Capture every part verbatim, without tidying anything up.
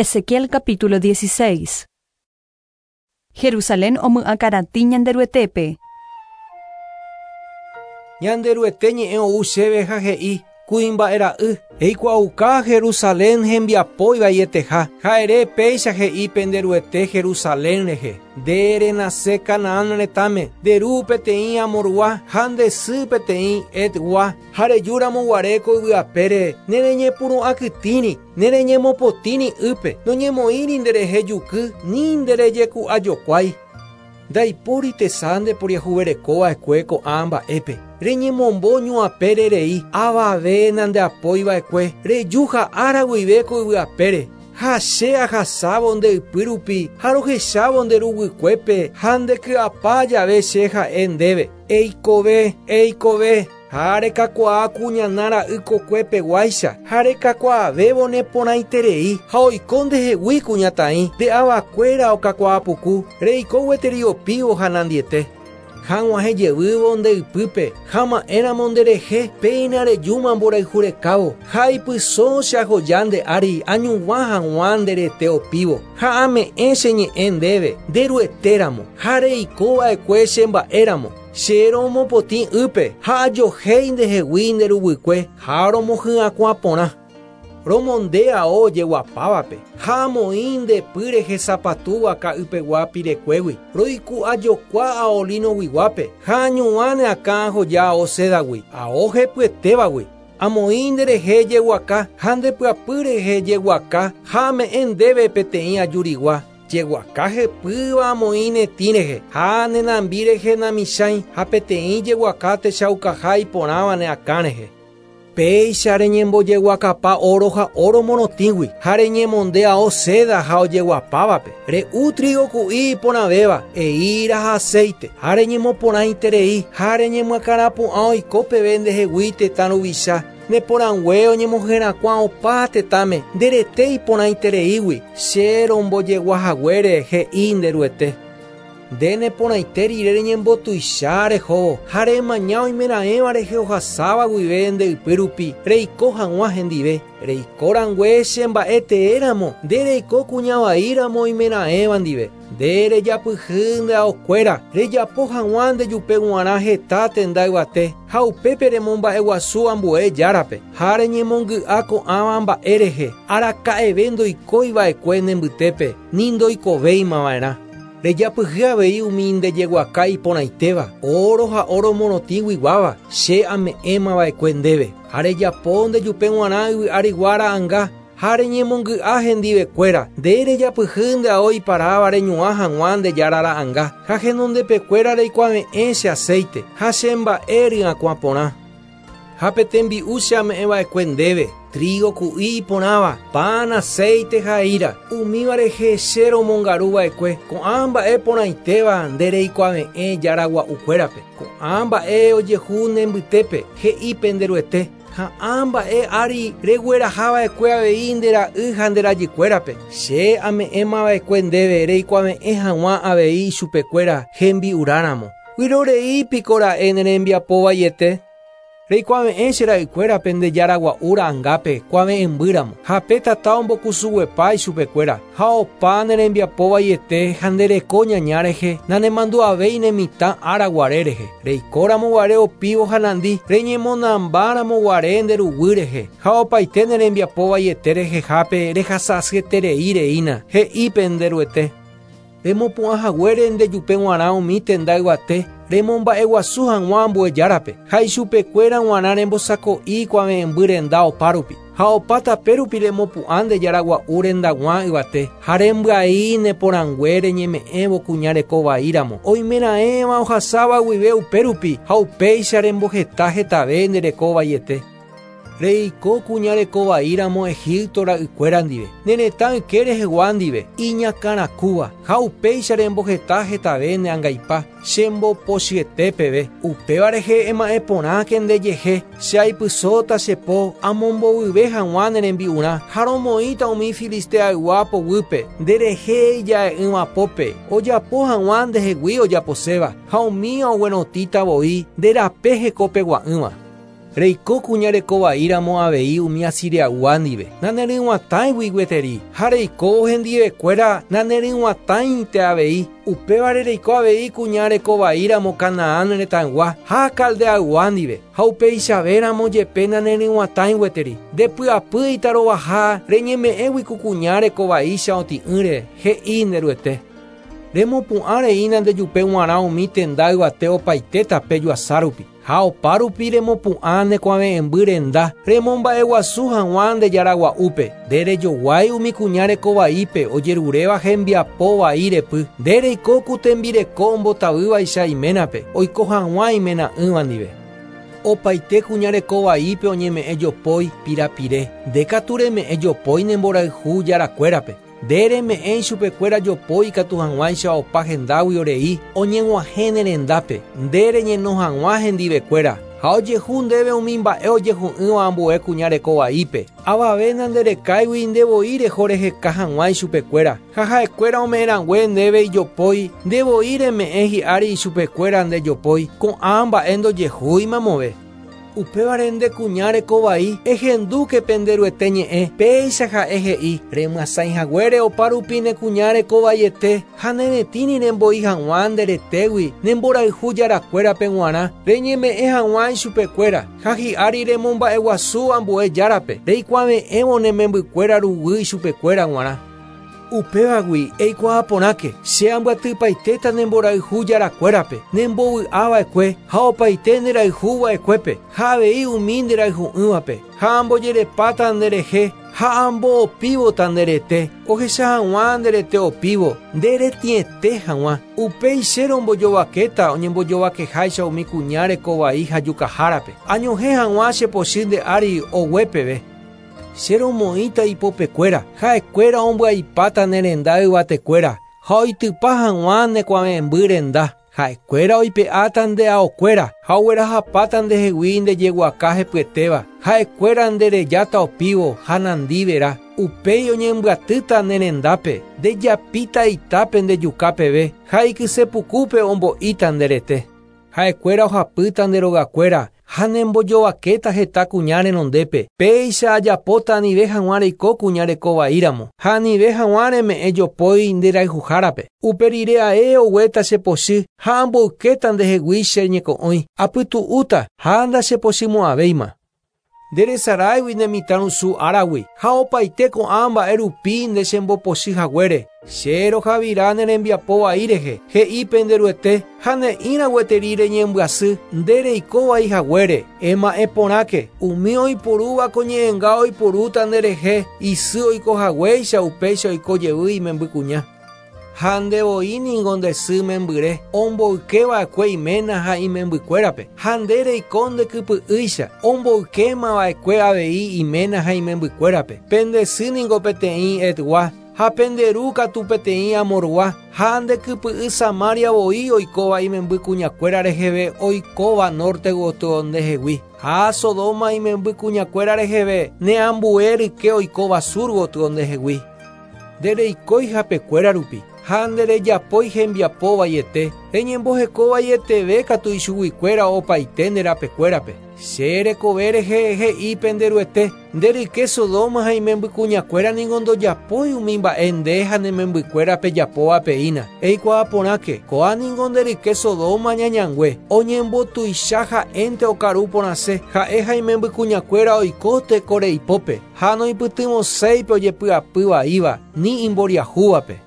Ezequiel capítulo dieciséis. Jerusalén omy'akaratĩ Ñanderuetépe. Ñanderuete ñe'ẽ ou chéve ha he'i kuimba'era'y eikuaauka Jerusalén hembiapo ivaieteha ha ere péicha he'i penderuete Jerusalén rehe nde renase Canaán retãme nde ru peteĩ amorgua ha nde sy peteĩ Etgua ha rejúramo guare ko yvyapére nereñepyrũ'akytĩri nereñemopotĩri ýpe noñemoĩri nderehe juky ni nderejeku'ajokuái ndaipóri tesa ndeporiahuverekova'ekue ko'ã mba'épe reñemombo ñuapére rei avave nandeapoiva'ekue reju ha ára guive ko yvyapére ha che ahasávo nde ypy rupi ha rohechávo nde ruguykuépe ha ndeky'apa jave che ha'e ndéve eikove eikove ha rekakuaa kuñana ra'y kokuepeguáicha ha rekakuaavévo neporãiterei ha oiko ndehegui kuñataĩ nde avakuéra okakuaapuku reiko gueteri opívo ha nandiete ha g̃uahẽ jevývo nde ypýpe ha ma'ẽramo nderehe péina rejúma mborayhurekávo ha ipysõ che ahoja nde ári añuvã hag̃ua nderete opívo ha ame'ẽ che ñe'ẽ ndéve nderuetéramo ha reikova'ekue che mba'éramo che romopotĩ ýpe ha ajohéi ndehegui nde ruguykue ha romohy'akuã porã romonde ao ojeguapávape ha amoĩ nde py rehe sapatúva ka'ypegua pirekuégui roiku'ajokua ao linoguiguápe ha añuvã ne akã ahoja ao sédagui ao hepyetévagui amoĩ nderehe jeguaka ha ndepyapy rehe jeguaka ha ame'ẽ ndéve peteĩ ajurigua jeguaka hepýva amoĩ netĩ rehe ha nenambi rehe namichãi ha peteĩ jeguaka techaukaha iporãva ne akã rehe péicha reñembojeguakapa oro ha oro morotĩgui ha reñemonde ao seda ha ojeguapávape re'u trigo ku'i iporãvéva eíra ha aceite ha reñemoporãiterei ha reñemyakãrapu'ã oiko peve ndehegui tetã ruvicha neporãngue oñemoherakuã opa tetãme nderete iporãitereígui che rombojeguahaguére he'i nderuete nde neporãite rire reñembotuicha rehóvo ha remaña oimeraẽva rehe ohasáva guive nde ypy rupi reiko hag̃ua hendive reikórãngue che mba'e teéramo nde reiko kuñavaíramo oimeraẽva ndive nde rejapyhy nde aokuéra rejapo hag̃ua ndejupe g̃uarã heta tenda yvate ha upépe remomba'eguasu ambue járape ha reñemongy'a ko'ãva mba'e rehe araka'eve ndoikóiva'ekue ne mbytépe ni ndoikovéimava'erã rejapyhy avei umi ndejeguaka iporãitéva oro ha oro morotĩguiguáva che ame'ẽmava'ekue ndéve ha rejapo ndejupe g̃uarã yvy arigua ra'ãnga ha reñemongy'a hendivekuéra nde rejapyhy nde ao iparáva reñuã hag̃ua nde jára ra'ãnga ha henondepekuéra reikuave'ẽ che aceite ha che mba'e ryakuã porã ha petembi'u che ame'ẽva'ekue ndéve trigo ku'i iporãva pan aceite ha eíra umíva rehe che romongaruva'ekue ko'ã mba'e porãitéva nde reikuave'ẽ jára gua'ukuérape ko'ã mba'e ojehu ne mbytépe he'i penderuete ha ã mba'e ári reguerahava'ekue avei nde ra'y ha nde rajykuérape che ame'ẽmava'ekue ndéve reikuave'ẽ hag̃ua avei ichupekuéra hembi'uráramo vyroreípiko ra'e ne rembiapovaiete reikuave'ẽ che ra'ykuérape nde jára gua'u ra'ãngápe kuave'ẽmbýramo ha pe tata ombokusuguepa ichupekuéra ha opa ne rembiapovaiete ha nde reko ñaña rehe nanemandu'avéi ne mitã ára guare rehe reikóramo guare opívo ha nandi reñemonambáramo guare nde ruguy rehe ha opaite ne rembiapovaiete rehehápe rehasa'asyeterei reína he'i penderuete remopu'ãhaguére ndejupe g̃uarã umi tenda yvate remomba'eguasu hag̃ua ambue járape ha ichupekuéra g̃uarã rembosako'i kuave'ẽmby renda opárupi ha opa tape rupi remopu'ã nde jára gua'u rendag̃ua yvate ha rembyai neporãngue reñeme'ẽvo kuña rekovaíramo oimeraẽva ohasáva guive upérupi ha upéicha remboheta hetave nde rekovaiete reiko kuña rekovaíramo Egipto ra'ykuéra ndive ne retã yke rehegua ndive iñakãrakúva ha upéicha remboheta hetave ne angaipa chembopochyete peve upéva rehe ema'ẽ porãke ndejehe che aipysóta che po amombovyve hag̃ua ne rembi'urã ha romoĩta umi filisteaygua poguýpe nderehe ija'e'ỹva pópe ojapo hag̃ua ndehegui ojaposéva ha umi oguerotĩta voi nde rape hekopegua'ỹva. Reiko kuña rekovaíramo avei umi Asiriaygua ndive. Naneryg̃uatãigui gueteri. Ha reiko hendivekuéra naneryg̃uatãinte avei. Upévare reiko avei kuña rekovaíramo Canaán retãygua ha Caldeaygua ndive. Ha upeichavéramo jepe naneryg̃uatãi gueteri. Ndepy'apy itarovaha reñeme'ẽgui ku kuña rekovaícha otĩ'ỹre, he'i nde Ruete. Remopu'ã reína ndejupe g̃uarã umi tenda yvate opaite tape juasárupi. Ha opárupi remopu'ã ne kuave'ẽmby renda, remomba'eguasu hag̃ua nde jaragua'úpe. Nde rejoguái umi kuña rekovaípe ojeruréva hembiapo vai repy. Nde reiko ku tembireko ombotavývaicha iménape, oiko hag̃ua imena'ỹva ndive. Opaite kuña rekovaípe oñeme'ẽ jopói pirapire. Nde katu reme'ẽ jopói ne mborayhu jarakuérape. Nde reme'ẽ ichupekuéra jopói ikatu hag̃uáicha opa hendágui orei oñeg̃uahẽ ne rendápe. Nde reñeno hag̃ua hendivekuéra. Ha ojehu ndéve umi mba'e ojehu'ỹva ambue kuña rekovaípe. Avave nanderekáigui ndevoi reho reheka hag̃ua ichupekuéra. Ha ha'ekuéra ome'ẽrangue ndéve ijopói, ndevoi reme'ẽ hi'ári ichupekuéra ndejopói. Ko'ã mba'e ndojehúi mamove. Upévare nde kuña rekovai, ehendúke pende Ruete ñe'ẽ, péicha ha'e he'i, remyasãihaguére opárupi ne kuña rekovaiete ha neretĩri remboi hag̃ua nde retégui ne mborayhu jarakuérape g̃uarã, reñeme'ẽ hag̃ua ichupekuéra, ha hi'ári remomba'eguasu ambue járape, reikuave'ẽvo ne membykuéra ruguy ichupekuéra g̃uarã. Upévagui eikuaa porãke, che ambyatypaitéta ne mborayhu jarakuérape, nembovy'ava'ekue ha opaite nderayhuva'ekuépe, ha avei umi nderayhu'ỹvape, ha ambojerepáta nderehe ha amboopívota nderete, ohecha hag̃ua nderete opívo, nderetĩete hag̃ua. Upéi che rombojovakéta oñembojovakeháicha umi kuña rekovai ha jukahárape, añohẽ hag̃ua che pochy nde ári ogue peve. Che romoĩta ipopekuéra, ha'ekuéra ombyaipáta ne renda yvatekuéra, ha oitypa hag̃ua ne kuave'ẽmby renda. Ha'ekuéra oipe'áta nde aokuéra, ha oguerahapáta ndehegui ndejeguaka hepyetéva. Ha'ekuéra nderejáta opívo ha nandivera. Upéi oñembyatýta ne rendápe, ndejapíta itápe ndejuka peve, ha ikysepukúpe ombo'íta nderete. Ha'ekuéra ohapýta nde rogakuéra, ha nembojovakéta heta kuña renondépe. Péicha ajapóta anive hag̃ua reiko kuña rekovaíramo, ha anive hag̃ua reme'ẽ jopói nderayhuhárape. Upe rire ae oguéta che pochy ha amboykéta ndehegui che ñeko'õi. Apytu'úta ha ndachepochymo'ãvéima. Nderesaráigui ne mitãrusu áragui, ha opaite ko'ã mba'e rupi nde chembopochy haguére. Che rohavira ne rembiapo vai rehe, he'i pende Ruete, ha ne'ĩra gueteri reñembyasy nde reiko vai haguére. Ema'ẽ porãke, umi oiporúva ko ñe'ẽnga oiporúta nderehe, isy oiko haguéicha upéicha oiko jevy imembykuña. Ha ndevoi ningo nde sy membyre, omboykeva'ekue iména ha imembykuérape. Ha nde reiko ndekypy'ýicha, omboykemava'ekue avei iména ha imembykuérape. Pende sy ningo peteĩ Etgua, ha pende ru katu peteĩ Amorgua, ha ndekypy'y Samaria voi oikóva imembykuñakuéra reheve oikóva norte gotyo ndehegui. Ha Sodoma imembykuñakuéra reheve ne ambue ryke oikóva sur gotyo ndehegui. Ndereikói hapekuéra rupi, ha nderejapói hembiapo vaiete, reñemboheko vaieteve katu ichuguikuéra opaite nde rapekuérape. Che rekove rehe he'i pende Ruete, nde ryke Sodoma ha imembykuñakuéra ningo ndojapói umi mba'e nde ha ne membykuéra pejapóva peína. Eikuaa porãke, ko'ã ningo nde ryke Sodoma ñañangue, oñembotuicha ha'énte okaru porãse, ha'e ha imembykuñakuéra oiko tekoreipópe, ha noipytyvõséipe ojepy'apy vaíva, ni imboriahúvape.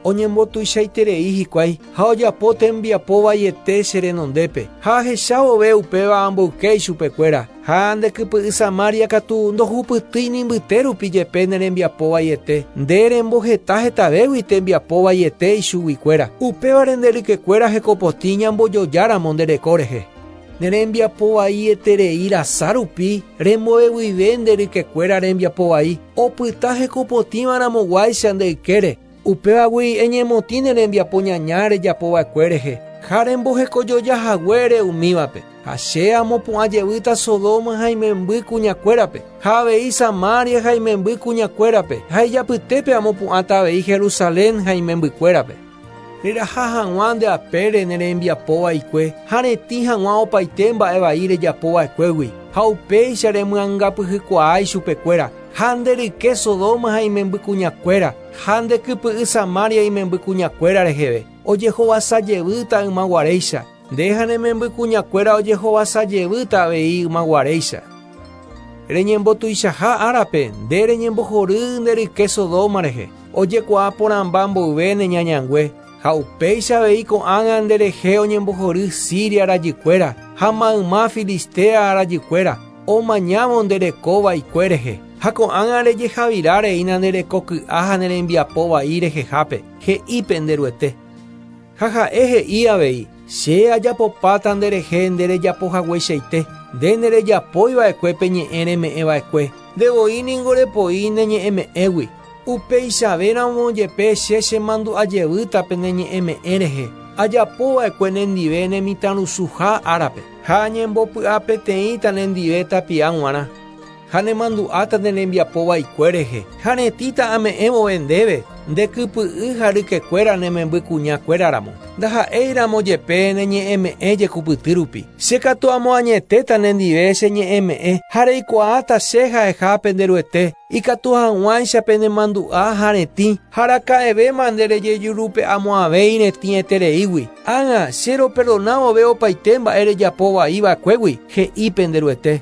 Oñembotuichaiterei hikuái ha ojapo tembiapo vaiete che renondépe. Ha ahechavove upéva amboyke ichupekuéra. Ha ndekypy'y Samaria katu ndohupytýi ni mbytérupi jepe ne rembiapo vaiete. Nde remboheta hetavégui tembiapo vaiete ichuguikuéra. Upévare nde rykekuéra hekopotĩ ñambojojáramo nde reko rehe. Ne rembiapo vaieterei rasa rupi remboeguive nde rykekuéra rembiapo vai. Opyta hekopotĩvaramoguáicha nde ykére. Upévagui eñemotĩ ne rembiapo ñaña rejapova'ekue rehe, ha rembohekojojahaguére umívape. Ha che amopu'ã jevýta Sodoma ha imemby kuñakuérape, ha avei Samaria ha imemby kuñakuérape, ha ijapytépe amopu'ãta avei Jerusalén ha imembykuérape. Reraha hag̃ua nde apére ne rembiapo vaikue, ha retĩ hag̃ua opaite mba'e vai rejapova'ekuégui. Ha upéicha remyangapyhykuaa ichupekuéra. Ha nde ryke Sodoma ha imembykuñakuéra. Ha nde kypy'y Samaria imembykuñakuéra reheve. Ojehovasajevýta ymaguaréicha. Nde ha ne membykuñakuéra ojehovasajevýta avei ymaguaréicha. Reñembotuichaha árape nde reñembohory nde ryke Sodoma rehe. Ojekuaa porãmba mboyve ne ñañangue. Ha upéicha avei ko'ág̃a nderehe oñembohory Siria rajykuéra ha mayma Filistea rajykuéra omañávo ndereko vaikue rehe. Ha ko'ág̃a rejehavira reína nderekoky'a ha nerembiapo vai rehehápe, he'i pende Ruete. Ha ha'e he'i avei, che ajapopáta nderehe nderejapohagueichaite, nde nderejapoiva'ekue pe ñe'ẽ reme'ẽva'ekue, ndevoi ningo repoi ne ñe'ẽme'ẽgui. Upeichavéramo jepe che chemandu'ajevýta pene ñe'ẽme'ẽ rehe, ajapova'ekue nendive ne mitãrusuha árape, ha añembopy'apeteĩta nendive tapia g̃uarã. Ha nemandu'áta ne rembiapo vaikue rehe, ha retĩta ame'ẽvove ndéve, nde kypy'y ha rykekuéra ne membykuñakuéraramo. Ndaha'éiramo jepe ne ñe'ẽme'ẽ jekupyty rupi. Che katu amoañetéta nendive che ñe'ẽme'ẽ ha reikuaáta che ha'eha pende Ruete, ikatu hag̃uáicha penemandu'a ha retĩ, ha raka'evéma nde rejejurupe'amo'ãvéiretĩetereígui. Ág̃a che roperdonavove opaite mba'e rejapo vaiva'ekuégui, he'i pende Ruete.